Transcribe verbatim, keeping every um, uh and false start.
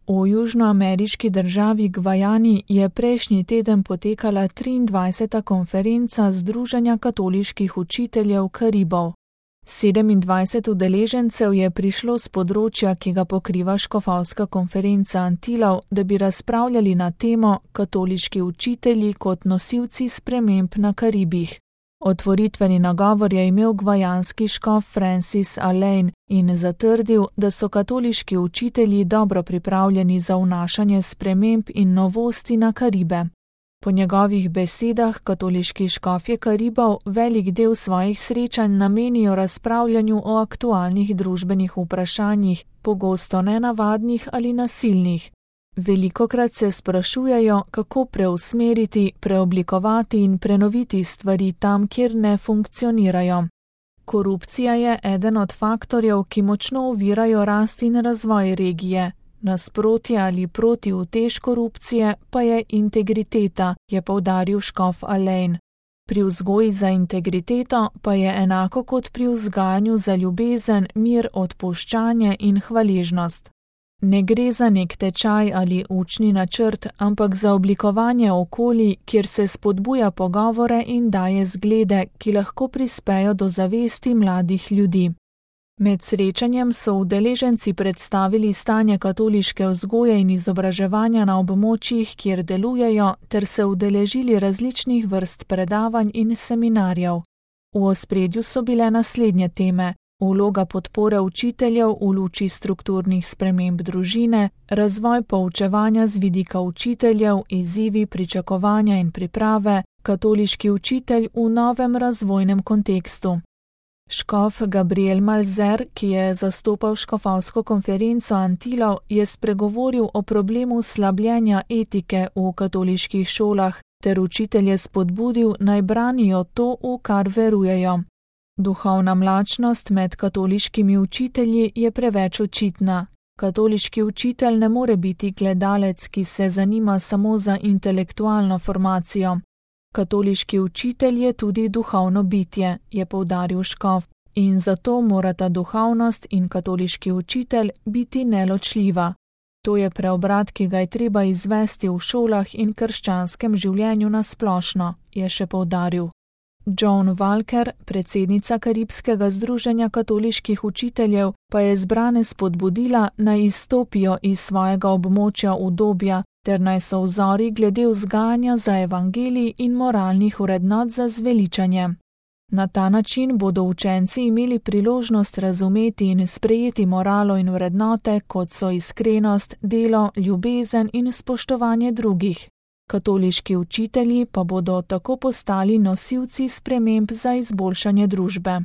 V južnoameriški državi Gvajani je prejšnji teden potekala triindvajseta konferenca Združenja katoliških učiteljev Karibov. sedemindvajset udeležencev je prišlo s področja, ki ga pokriva škofovska konferenca Antilov, da bi razpravljali na temo Katoliški učitelji kot nosilci sprememb na Karibih. Otvoritveni nagovor je imel gvajanski škof Francis Alain in zatrdil, da so katoliški učitelji dobro pripravljeni za vnašanje sprememb in novosti na Karibe. Po njegovih besedah katoliški škofje Karibov velik del svojih srečanj namenijo razpravljanju o aktualnih družbenih vprašanjih, pogosto nenavadnih ali nasilnih. Velikokrat se sprašujejo, kako preusmeriti, preoblikovati in prenoviti stvari tam, kjer ne funkcionirajo. Korupcija je eden od faktorjev, ki močno ovirajo rast in razvoj regije. Nasprotje ali protiutež korupcije pa je integriteta, je poudaril škof Alain. Pri vzgoji za integriteto pa je enako kot pri vzgajanju za ljubezen, mir, odpuščanje in hvaležnost. Ne gre za nek tečaj ali učni načrt, ampak za oblikovanje okolij, kjer se spodbuja pogovore in daje zglede, ki lahko prispejo do zavesti mladih ljudi. Med srečanjem so udeleženci predstavili stanje katoliške vzgoje in izobraževanja na območjih, kjer delujejo, ter se udeležili različnih vrst predavanj in seminarjev. V ospredju so bile naslednje teme: vloga podpore učiteljev v luči strukturnih sprememb družine, razvoj poučevanja z vidika učiteljev, izzivi, pričakovanja in priprave, katoliški učitelj v novem razvojnem kontekstu. Škof Gabriel Malzer, ki je zastopal škofovsko konferenco Antilov, je spregovoril o problemu slabljenja etike v katoliških šolah ter učitelje spodbudil, naj branijo to, v kar verujejo. Duhovna mlačnost med katoliškimi učitelji je preveč očitna. Katoliški učitelj ne more biti gledalec, ki se zanima samo za intelektualno formacijo. Katoliški učitelj je tudi duhovno bitje, je poudaril škof, in zato morata duhovnost in katoliški učitelj biti neločljiva. To je preobrat, ki ga je treba izvesti v šolah in krščanskem življenju nasplošno, je še poudaril. Joan Walker, predsednica Karibskega združenja katoliških učiteljev, pa je zbrane spodbudila, naj izstopijo iz svojega območja udobja, ter naj so vzori glede vzgajanja za evangelij in moralnih vrednot za zveličanje. Na ta način bodo učenci imeli priložnost razumeti in sprejeti moralo in vrednote, kot so iskrenost, delo, ljubezen in spoštovanje drugih. Katoliški učitelji pa bodo tako postali nosilci sprememb za izboljšanje družbe.